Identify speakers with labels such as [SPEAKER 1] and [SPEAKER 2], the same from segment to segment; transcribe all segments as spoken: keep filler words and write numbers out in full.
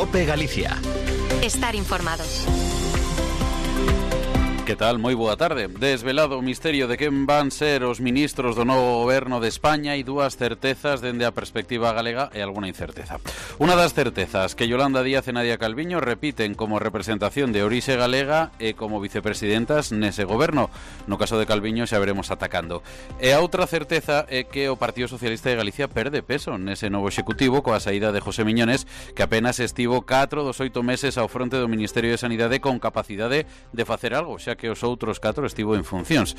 [SPEAKER 1] COPE Galicia.
[SPEAKER 2] Estar informados.
[SPEAKER 3] Que tal? Moi boa tarde. Desvelado o misterio de quen van ser os ministros do novo goberno de España e dúas certezas dende a perspectiva galega e alguna incerteza. Unha das certezas que Yolanda Díaz e Nadia Calviño repiten como representación de orixe galega e como vicepresidentas nese goberno. No caso de Calviño xa veremos atacando. E a outra certeza é que o Partido Socialista de Galicia perde peso nese novo executivo coa saída de José Miñones, que apenas estivo catro dos oito meses ao fronte do Ministerio de Sanidade con capacidade de facer algo, xa que os outros catro estivo en funcións.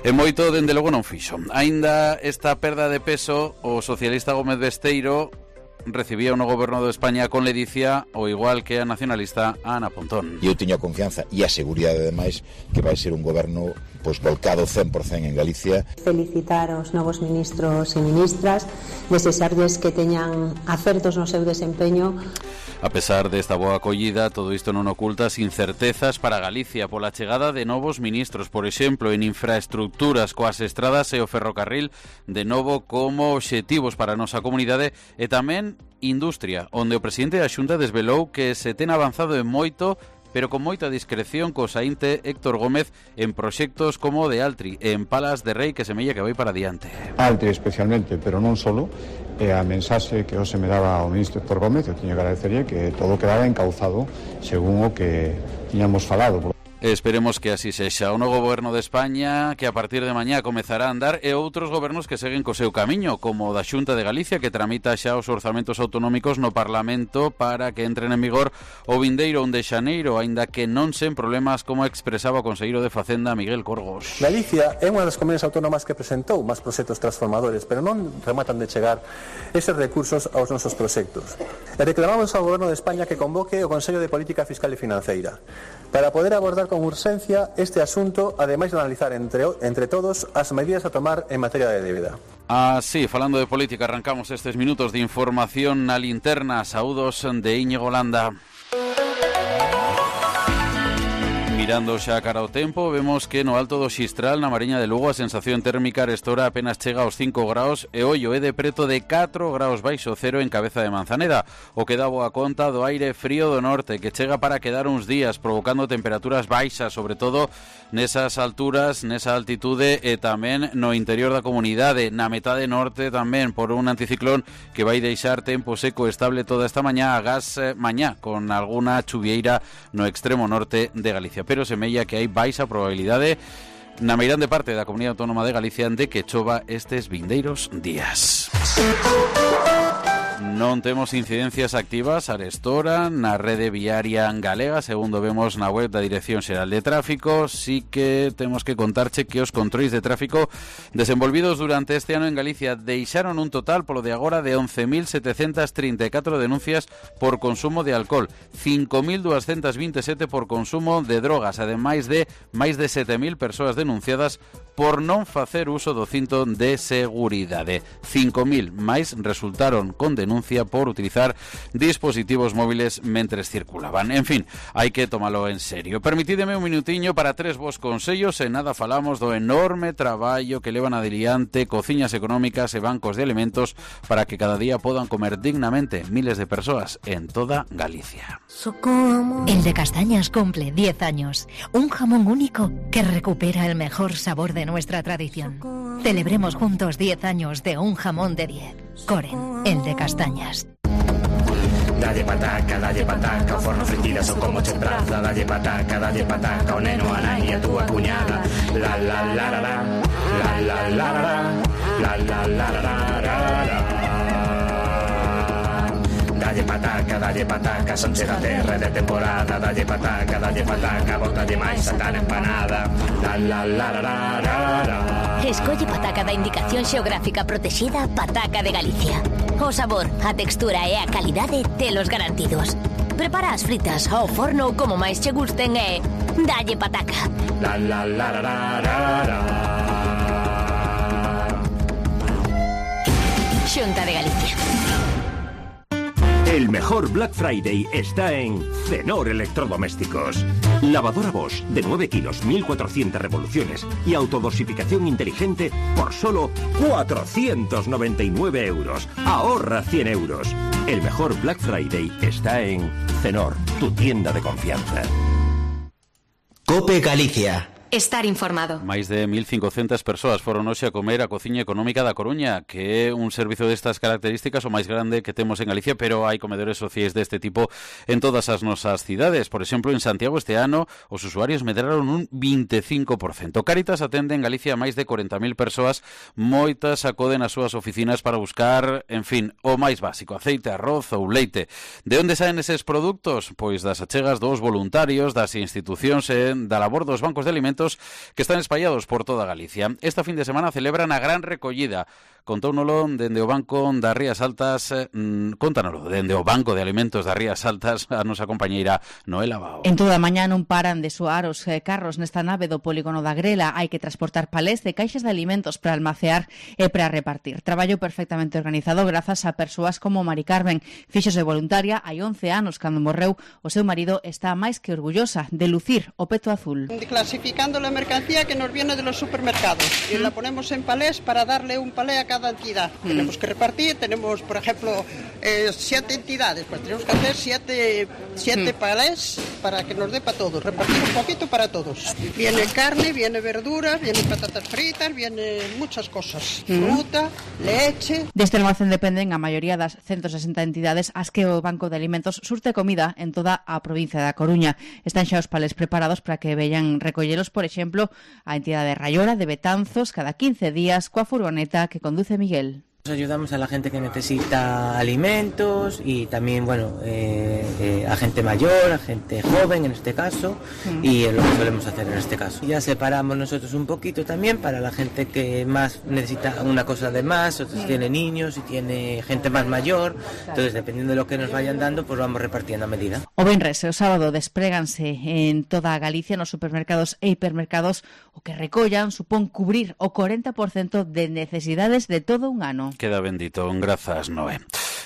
[SPEAKER 3] E moito, dende logo, non fixo. Aínda esta perda de peso, o socialista Gómez Besteiro recibía no goberno de España con ledicia, o igual que a nacionalista Ana Pontón.
[SPEAKER 4] Eu teño a confianza e a seguridade, ademais, que vai ser un goberno pois volcado cen por cento en Galicia.
[SPEAKER 5] Felicitar aos novos ministros e ministras, desexarlles que teñan acertos no seu desempeño.
[SPEAKER 3] A pesar desta boa acollida, todo isto non oculta as incertezas para Galicia pola chegada de novos ministros, por exemplo, en infraestructuras coas estradas e o ferrocarril de novo como obxectivos para a nosa comunidade, e tamén industria, onde o presidente da Xunta desvelou que se ten avanzado en moito, pero con moita discreción co saínte Héctor Gómez en proxectos como o de Altri e en Palas de Rei, que semella que vai para diante.
[SPEAKER 6] Altri especialmente, pero non solo, e a mensaxe que hoxe me daba o ministro Héctor Gómez, eu tiño que agradecerlle que todo quedaba encauzado según o que tiñamos falado.
[SPEAKER 3] Esperemos que así sexa. O novo goberno de España, que a partir de mañá comezará a andar, e outros gobernos que seguen co seu camiño, como o da Xunta de Galicia, que tramita xa os orzamentos autonómicos no Parlamento para que entren en vigor o vindeiro un de xaneiro, aínda que non sen problemas, como expresaba o conselleiro de Facenda Miguel Corgos.
[SPEAKER 7] Galicia é unha das comunidades autónomas que presentou máis proxectos transformadores, pero non rematan de chegar eses recursos aos nosos proxectos. E reclamamos ao goberno de España que convoque o Consello de Política Fiscal e Financeira para poder abordar con urxencia este asunto, ademais de analizar entre, entre todos as medidas a tomar en materia de débeda.
[SPEAKER 3] Ah, sí, falando de política, arrancamos estes minutos de información na linterna. Saúdos de Íñigo Landa. Mirando xa cara ao tempo, vemos que no alto do Xistral, na Mariña de Lugo, a sensación térmica arestora apenas chega aos cinco graus e ollo é de preto de catro graus baixo cero en Cabeza de Manzaneda, o que dá boa conta do aire frío do norte, que chega para quedar uns días, provocando temperaturas baixas, sobre todo nesas alturas, nesa altitude e tamén no interior da comunidade, na metade norte tamén, por un anticiclón que vai deixar tempo seco estable toda esta mañá, agás mañá, con alguna chuvieira no extremo norte de Galicia. Pero semella que hai baixa probabilidade na meirande parte da Comunidade Autónoma de Galicia de que chova estes vindeiros días. Non temos incidencias activas arestora na rede viaria galega, segundo vemos na web da Dirección Xeral de Tráfico. Sí que temos que contarche que os controis de tráfico desenvolvidos durante este ano en Galicia deixaron un total polo de agora de once mil setecentas trinta e catro denuncias por consumo de alcohol, cinco mil duascentas vinte e sete por consumo de drogas, ademais de máis de sete mil persoas denunciadas por non facer uso do cinto de seguridade. cinco mil máis resultaron con denuncia por utilizar dispositivos móviles mentres circulaban. En fin, hai que tomalo en serio. Permitídeme un minutiño para tres vos consellos, e nada falamos do enorme traballo que levan adiante cociñas económicas e bancos de alimentos para que cada día podan comer dignamente miles de persoas en toda Galicia.
[SPEAKER 8] El de Castañas cumple diez años. Un jamón único que recupera el mejor sabor de nuestra tradición. Celebremos juntos diez años de un jamón de diez. Coren, el de Castañas.
[SPEAKER 9] Dalle pataca, dalle pataca, o forno fritidas ou como che praza. Dalle pataca, dalle pataca, o neno, a nai e a túa cuñada. La la la la la, la la la la la, la la la la la. Dalle pataca, dalle pataca, son che da terra de temporada. Dalle pataca, dalle pataca, botalle máis a tal empanada. La la la la la la.
[SPEAKER 10] Escolle pataca da Indicación Xeográfica Protexida Pataca de Galicia. O sabor, a textura e a calidade telos garantidos. Prepara as fritas ao forno como máis che gusten e dalle pataca.
[SPEAKER 9] La la la la la la.
[SPEAKER 10] Xunta de Galicia.
[SPEAKER 11] El mejor Black Friday está en Cenor Electrodomésticos.
[SPEAKER 1] Lavadora Bosch de nueve kilos, mil cuatrocientas revoluciones y autodosificación inteligente por solo cuatrocientos noventa y nueve euros. Ahorra cien euros. El mejor Black Friday está en Cenor, tu tienda de confianza.
[SPEAKER 11] Cope Galicia.
[SPEAKER 2] Estar informado.
[SPEAKER 3] Máis de mil cincocentas persoas foron hoxe a comer a Cociña Económica da Coruña, que é un servizo destas características o máis grande que temos en Galicia, pero hai comedores sociais deste tipo en todas as nosas cidades. Por exemplo, en Santiago este ano os usuarios medraron un vinte e cinco por cento. Cáritas atende en Galicia a máis de corenta mil persoas, moitas acoden ás súas oficinas para buscar, en fin, o máis básico, aceite, arroz ou leite. De onde saen eses produtos? Pois das achegas dos voluntarios, das institucións e da labor dos bancos de alimentos que están espallados por toda Galicia. Esta fin de semana celebran a gran recollida. Contóunolo dende o Banco das Rías Altas, mmm, contánoslo dende o Banco de Alimentos das Rías Altas, a nosa compañeira Noela Bao.
[SPEAKER 12] En toda a mañá non paran de soar os eh, carros nesta nave do polígono da Grela. Hai que transportar palés de caixas de alimentos para almacear e para repartir. Traballo perfectamente organizado grazas a persoas como Mari Carmen. Fíxose voluntaria hai once anos cando morreu o seu marido. Está máis que orgullosa de lucir o peto azul.
[SPEAKER 13] Clasificando la mercancía que nos viene de los supermercados y la ponemos en palés para darle un palé a cada entidad. Mm. Tenemos que repartir, tenemos, por ejemplo, eh, siete entidades, pues tenemos que hacer siete, siete mm. palés para que nos dé para todos, repartir un poquito para todos. Viene carne, viene verduras, viene patatas fritas, viene muchas cosas, mm. fruta, leche.
[SPEAKER 12] Deste almacén dependen a maioría das ciento sesenta entidades as que o Banco de Alimentos surte comida en toda a provincia da Coruña. Están xa os palés preparados para que veñan recollelos, por exemplo, a entidade de Raiola de Betanzos cada quince días coa furgoneta que conduce Miguel.
[SPEAKER 14] Ayudamos a la gente que necesita alimentos y también, bueno, eh, eh, a gente mayor, a gente joven en este caso, mm. y es lo que solemos hacer en este caso. Ya separamos nosotros un poquito también para la gente que más necesita una cosa de más, otros mm. tiene niños y tiene gente más mayor, entonces dependiendo de lo que nos vayan dando, pues vamos repartiendo a medida.
[SPEAKER 12] O venres e o sábado despréganse en toda a Galicia nos supermercados e hipermercados o que recollan supón cubrir o cuarenta por ciento de necesidades de todo un ano.
[SPEAKER 3] Queda bendito, grazas, Noé.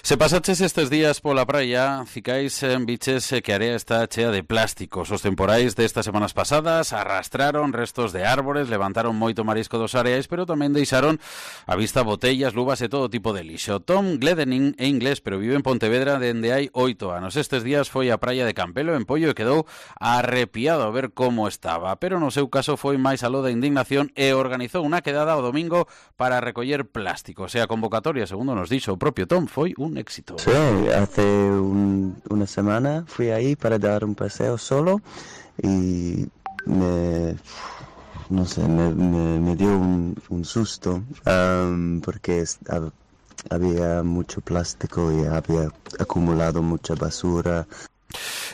[SPEAKER 3] Se pasaches estes días pola praia, cicais en biches que a area está chea de plásticos. Os temporais destas semanas pasadas arrastraron restos de árbores, levantaron moito marisco dos areais, pero tamén deixaron a vista botellas, luvas e todo tipo de lixo. Tom Gledening é inglés, pero vive en Pontevedra dende hai oito anos. Estes días foi á praia de Campelo, en Pollo, e quedou arrepiado a ver como estaba. Pero no seu caso foi máis aló da indignación e organizou unha quedada o domingo para recoller plásticos. E a convocatoria, segundo nos dixo o propio Tom, foi un éxito.
[SPEAKER 15] Sí, hace un, una semana fui ahí para dar un paseo solo y me, no sé, me, me, me dio un, un susto um, porque había mucho plástico y había acumulado mucha basura.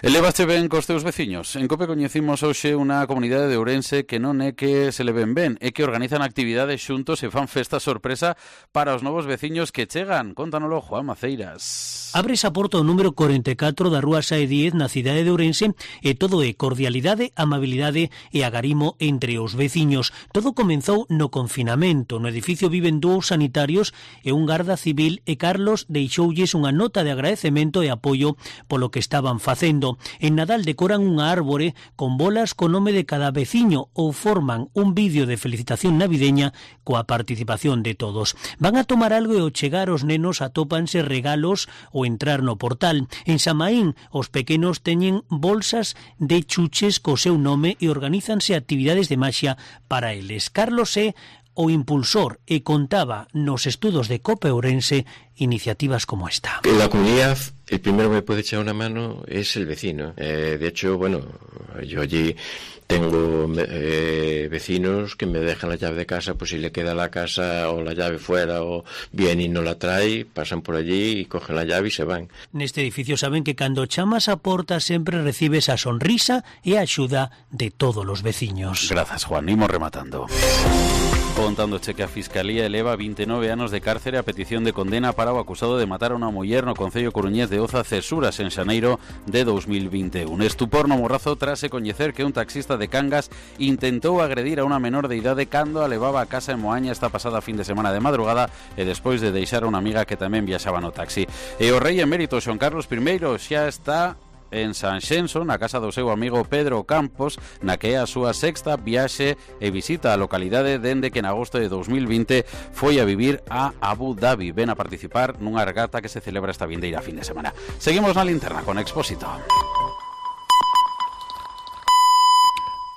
[SPEAKER 3] Elevaste ben cos teus veciños? En Cope coñecimos hoxe unha comunidade de Ourense que non é que se le ven ben, é que organizan actividades xuntos e fan festa sorpresa para os novos veciños que chegan. Contánoslo, Juan Maceiras.
[SPEAKER 16] Abres a porta o número cuarenta e catro da Rúa Sae diez na cidade de Ourense e todo é cordialidade, amabilidade e agarimo entre os veciños. Todo comenzou no confinamento. No edificio viven dous sanitarios e un garda civil e Carlos deixoulles unha nota de agradecemento e apoio polo que estaban facendo. En Nadal decoran unha árbore con bolas co nome de cada veciño ou forman un vídeo de felicitación navideña coa participación de todos. Van a tomar algo e ao chegar os nenos atópanse regalos ou entrar no portal. En Samaín, os pequenos teñen bolsas de chuches co seu nome e organízanse actividades de maxia para eles. Carlos é o impulsor e contaba nos estudos de Cope Ourense iniciativas como esta.
[SPEAKER 17] En la comunidad, el primero que me puede echar una mano es el vecino. Eh, de hecho, bueno, yo allí tengo eh, vecinos que me dejan la llave de casa, pues si le queda la casa o la llave fuera o viene y no la trae, pasan por allí y cogen la llave y se van.
[SPEAKER 16] Neste edificio saben que cando chamas a porta sempre recibes a sonrisa e a axuda de todos os veciños.
[SPEAKER 3] Grazas, Juan. Imos rematando. Contándoche que a Fiscalía eleva vinte e nove anos de cárcere a petición de condena para o acusado de matar a unha muller no concello coruñés de Oza Cesuras en xaneiro de dos mil vinte e un. Estupor no Morrazo tras se coñecer que un taxista de Cangas intentou agredir a unha menor de idade cando a levaba a casa en Moaña esta pasada fin de semana de madrugada e despois de deixar a unha amiga que tamén viaxaba no taxi. E o rei emérito Xoan Carlos I xa está en Sanxenxo, na casa do seu amigo Pedro Campos, na que é a súa sexta viaxe e visita a localidade dende que en agosto de dos mil vinte foi a vivir a Abu Dhabi. Ven a participar nunha regata que se celebra esta vindeira fin de semana. Seguimos na linterna con Expósito.